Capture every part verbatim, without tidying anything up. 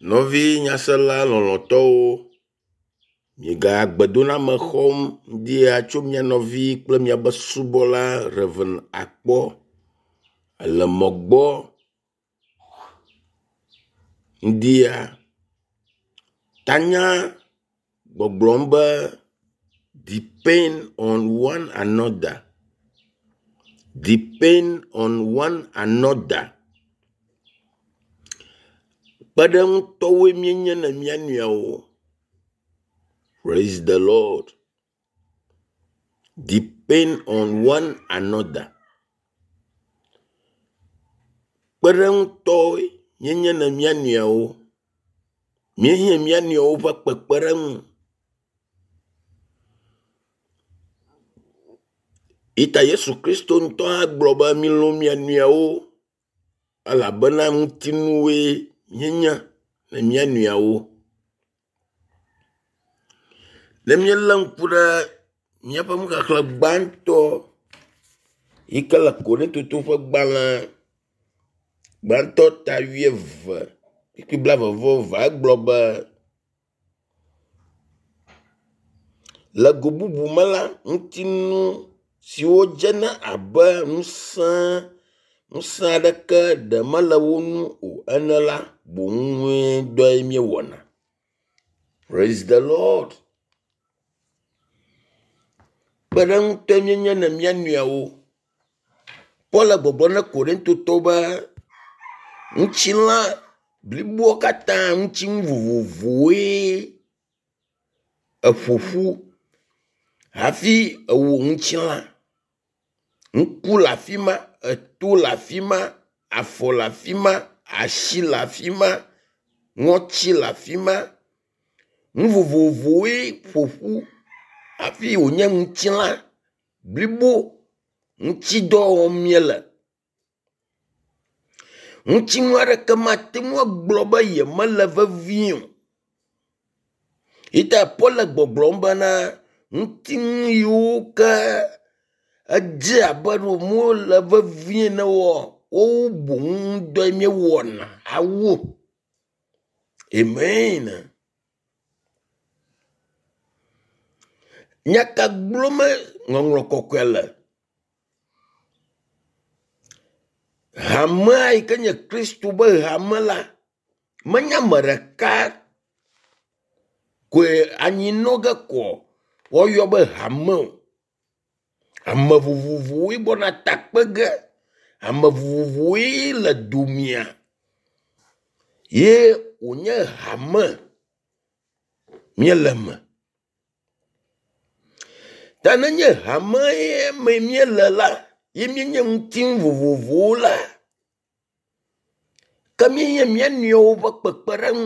Nɔvi nyasela lɔlɔ̃tɔwo, miegale xɔm ŋdi ya tso mia nɔvi kple miabe subɔla Rev. Akpɔ le mɔ gbɔ ŋdi ya. Tanya gbɔgblɔm be depend on one another, depend on one another. Kpeɖeŋutɔwoe míenye na mía nɔewo. Praise the Lord. Depend on one another. Kpeɖeŋutɔwoe míenye na mía nɔewo. Míehiã mía nɔewo ƒe kpekpeɖeŋu. Yi ta Yesu Kristo ŋutɔ hã gblɔ be milɔ̃ mia nɔewo elabena ŋutinuwoe míenye na mía nɔewo. Ne míelé ŋku ɖe míaƒe nuxexlẽ gbãtɔ yi ke le Korintotowo ƒe gbalẽ gbãtɔ ta wuieve kpukpui blaeve vɔ eve egblɔ be, le go bubu me la, ŋutinu siwo dzena abe ŋusẽ ŋusẽ aɖeke ɖe mele wo ŋu o ene la boŋue dɔe míewɔna. Praise the Lord. Kpeɖeŋutɔe míenye na mía nɔewo. Paul le gbɔgblɔm na Korintotɔwo be ŋutilã bliboa katã ŋutinu vovovowoe eƒo ƒu hafi ewɔ ŋutilã. Ŋku le afi ma, eto le afi ma, afɔ le afi ma, asi le afi ma, ŋɔtsi le afi ma. Nu vovovowoe ƒo ƒu hafi wònye ŋutilã blibo ŋutidɔ wɔm míele. Ŋutinu aɖeke mate ŋu agblɔ be yemele vevie o. Yi ta Paul le gbɔgblɔm bena ŋutinu yiwo ke edze abe ɖe womele vevie ne oa, woawo boŋ ŋudɔe míewɔna awu. Amen. Nya ka gblɔm ŋɔŋlɔ kɔkɔe le? Hamea yi ke nye Kristo be hame la, menye ame ɖeka koe anyi nɔ ge koa woayɔ be hame o. Ame vovovowoe gbɔna takpe ge. Ame vovovowoe le domia ye wònye hame míele me. Ta nenye hame ye me míele la, ye míenye ŋutinu vovovowo la, ke míehiã mía nɔewo ƒe kpekpeɖeŋu.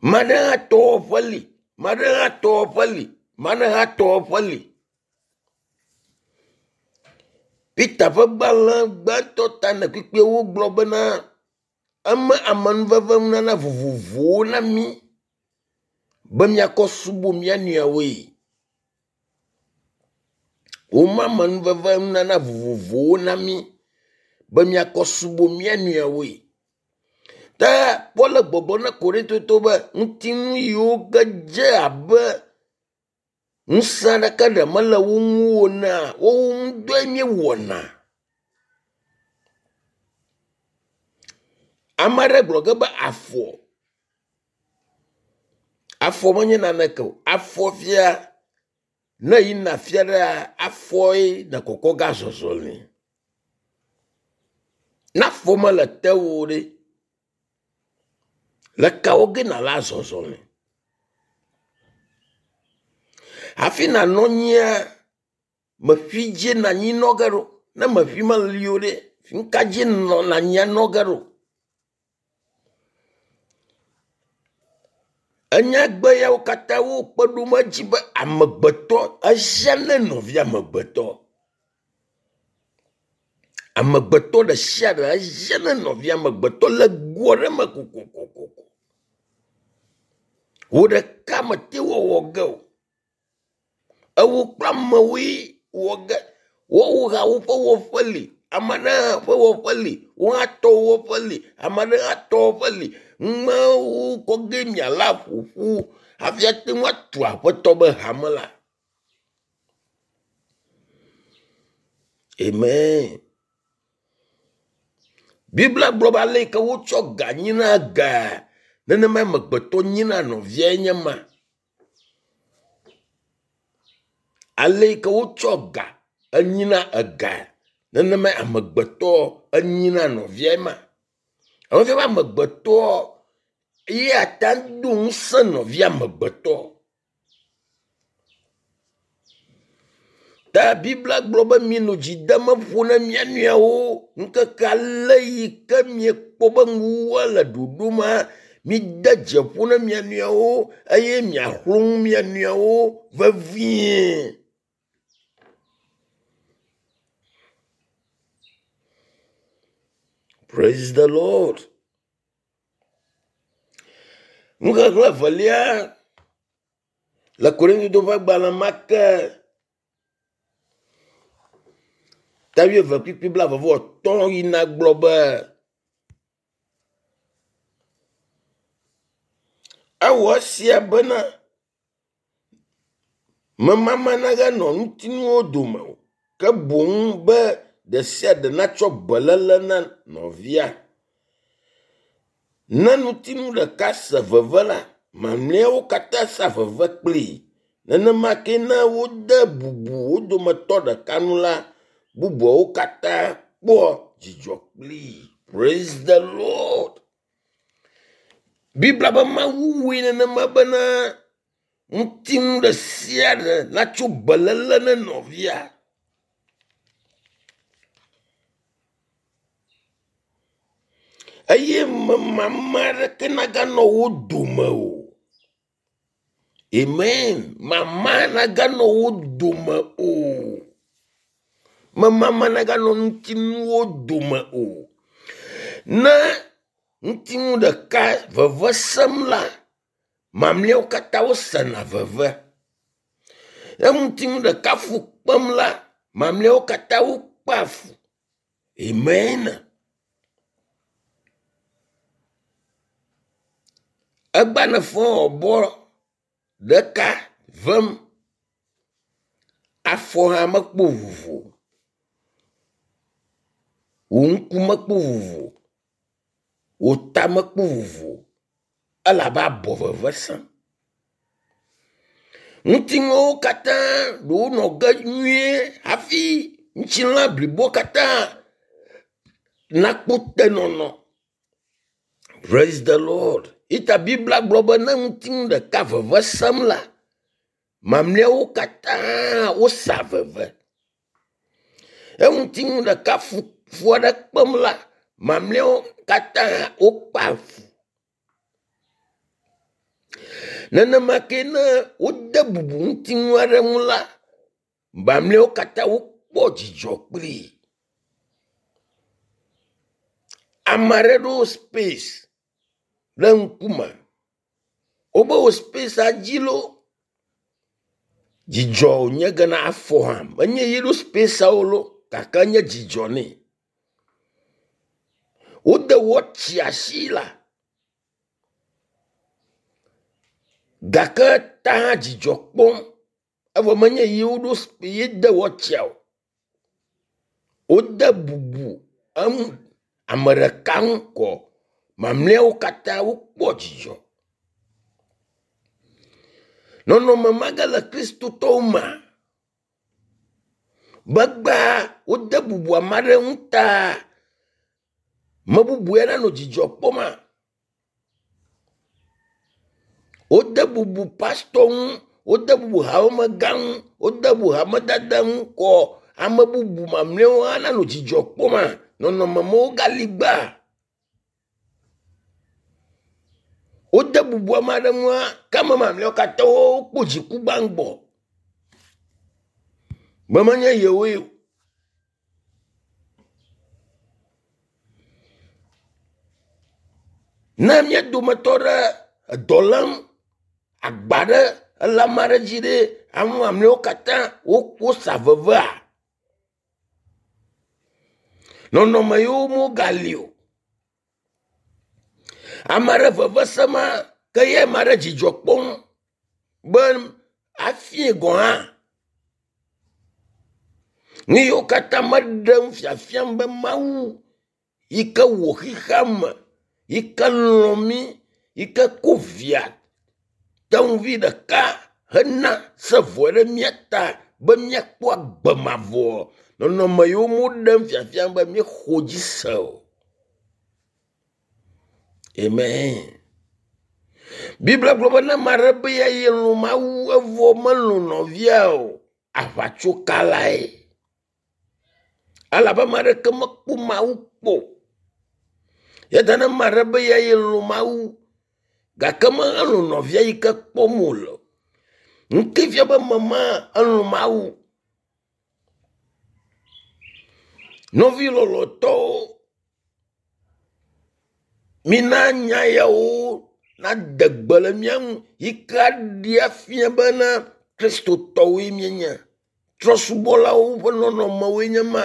Ame aɖe hã tɔ wɔƒe li, ame aɖe hã tɔ wɔƒe li, ame aɖe hã tɔ wɔƒe li. Peter ƒe gbalẽ gbãtɔ ta ene kpukpui ewo gblɔ bena eme amenuveve nunana vovovowo na mí be míakɔ subɔ mía nɔewoe. Woma amenuveve nunana vovovowo na mí be míakɔ subɔ mía nɔewoe. Ta Paul le gbɔgblɔm na Korintotowo be ŋutinu yiwo ke dze abe ŋusẽ aɖeke ɖe mele wo ŋu o enea, woawo ŋudɔe míewɔna. Ame aɖe gblɔ ge be afɔ. Afɔ menye naneke o. Afɔ fia ne eyina afi aɖea, afɔe ne kɔkɔ ge azɔ zɔli. Ne afɔ mele tewò o ɖe, le ka wɔ ge nàle azɔ zɔli? Hafi nànɔ anyia, meƒi dzie nanyi nɔ ge ɖo. Ne meƒi meli o ɖe, nu ka dzi nɔ anyia nɔ ge ɖo? Enyagbe yawo katã wokpe ɖom edzi be amegbetɔ ehiã ne nɔvia amegbetɔ. Amegbetɔ ɖe sia ɖe ehiã ne nɔvia amegbetɔ le go aɖe me kokokoko. Wò ɖeka mete wɔwɔ ge o. Ewò kple amewoe wɔ ge. Woawo hã woƒe wɔƒe li. Ame aɖe hã ƒe wɔƒe li, wò hã tɔwò wɔƒe li, ame aɖe hã tɔ wɔƒe li. Numawo kɔ ge miala aƒoƒu hafi ate ŋu atu aƒetɔ be hame la. Amen. Biblia gblɔ be ale yi ke wotsɔ ga nyina gaa, nenema amegbetɔ nyina nɔviae nye ma. Ale yi ke wotsɔ ga enyina ega, nenema amegbetɔ enyina nɔviae ma. Efia be amegbetɔ ye ate ŋu do ŋusẽ nɔvia amegbetɔ. Ta Biblia gblɔ be minɔ dzi dem ƒo na mia nɔewo ŋkeke ale yi ke miekpɔ be nuwuwua le ɖoɖoma, mide dze ƒo na mia nɔewo eye miaxlɔ nu mia nɔewo vevie. Praise the Lord. Nuxexlẽ evelia le Korintotɔwo ƒe agbalẽ ma ke ta wuieve kpukpui blaeve vɔ atɔ̃ yina gblɔ be ewɔ esia bena memama naganɔ ŋutinuwo dome o, ke boŋ be ɖe sia ɖe natsɔ beléle na nɔvia. Ne ŋutinu ɖeka se veve la, mamlɛawo katã sea veve kplii. Nenema ke ne wode bubu wo dometɔ ɖeka ŋu la, bubuawo katã kpɔa dzidzɔ kplii. Praise the Lord. Biblia be Mawu wɔe nenema bena ŋutinu ɖe sia ɖe natso beléle ne nɔvia. Eye memama aɖeke naganɔ wo dome o. Amen. Mama naganɔ wo dome o. Memama naganɔ ŋutinuwo dome o. Ne ŋutinu ɖeka veve sem la, mamlɛawo katã wosena veve. Ne ŋutinu ɖeka fu kpem la, mamlɛawo katã wokpea fu. Amen. Egba ne fɔ bɔ ɖeka vem, afɔ hã mekpɔ vovo, wò ŋku mekpɔ vovo, wò ta mekpɔ vovo elabe abɔ veve sem. Ŋutinuwo katã ɖewo nɔ ge nyuie hafi ŋutilã blibo katã nakpɔ tenɔnɔ. Praise the Lord. Ita Biblia gblɔ be ne ŋutinu ɖeka veve sem la, mamlɛawo katã wosa veve. Ne ŋutinu ɖeka fu fu aɖe kpem la, mamlɛawo katã wokpea fu. Nenema ke ne wode bubu ŋutinu aɖe ŋu la, mamlɛawo katã wokpɔ dzidzɔ kplii. Ame aɖe ɖo space ɖe ŋkume. Wobe wo spacea dzi loo. Dzidzɔ wònye gena afɔ hã. Menye ye ɖo spaceawo loo gake enye dzidzɔ nɛ. Wode wɔtsi asi la gake ta hã dzidzɔ kpɔm evɔ menye ye woɖo ye de wɔtsia o. Wode bubu eŋu ame ɖeka ŋu kɔ mamlɛawo katã wokpɔ dzidzɔ. Nɔnɔme ma ge le kristotɔwo mea, be gbea wode bubu ame aɖe ŋu ta me bubu ya nanɔ dzidzɔ kpɔma. Wode bubu pastɔ ŋu, wode bubu hamemegã ŋu, wode bubu hamedada ŋu kɔ ame bubu mamlɛawo hã nanɔ dzidzɔ kpɔma. Nɔnɔme mawo gali gbea. Wode bubu ame aɖe ŋua, ke ame mamlɛawo katã wokpɔ dziku gbãgbɔ. Be menye yewoe o. Ne mía dometɔ ɖe edɔ lém, agba ɖe ele ame aɖe dzi ɖe, ame mamlɛawo katã wosa vevea. Nɔnɔme yiwo megali o. Ame aɖe veve sema ke ye ame aɖe dzidzɔ kpɔm be afie gɔ̃ hã. Nu yiwo katã meɖem fiafiam be Mawu yi ke wɔ xexeame, yi ke lɔ̃ mí, yi ke ko via tenuvi ɖeka hena se vɔ ɖe mía ta be míakpɔ agbe mavɔ. Nɔnɔme yiwo meɖem fiafiam be míexɔ dzi se o. Amen. Biblia gblɔ be ne ame aɖe be yelɔ̃ Mawu evɔ melɔ̃ nɔvia o, aʋatsokalae. Elabe ame aɖeke mekpɔ Mawu kpɔ o. Ya ta ne ame aɖe be yelɔ̃ Mawu gake melɔ̃ nɔvia yi ke kpɔm wòle o, nu ke fia be ame ma elɔ̃ Mawu. Nɔvi lɔlɔ̃tɔwo, mina nya yawo nade gbe le mía ŋu yi ke aɖee afia bena Kristotɔwoe míenye. Trɔ̃subɔlawo ƒe nɔnɔmewoe nye ma.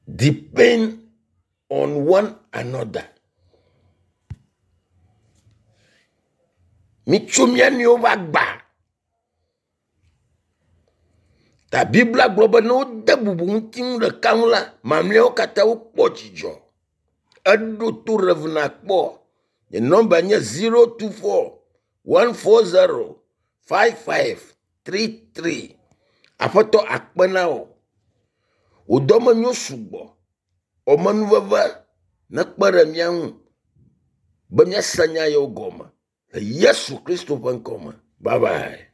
Depend on one another. Mitso mía nɔewo ƒe agba. Ta Biblia gblɔ be ne wode bubu ŋutinu ɖeka ŋu la, mamlɛawo katã wokpɔ dzidzɔ. Eɖo to Rev. Akpɔ. Nye nɔmba nye zero two four one four zero five five three three. Aƒetɔ akpe na wò. Wò dɔme nyo sugbɔ. Wò nekpe ɖe mía ŋu be míase nya yawo gɔme le Yesu Kristo ƒe ŋkɔ me. Bye bye.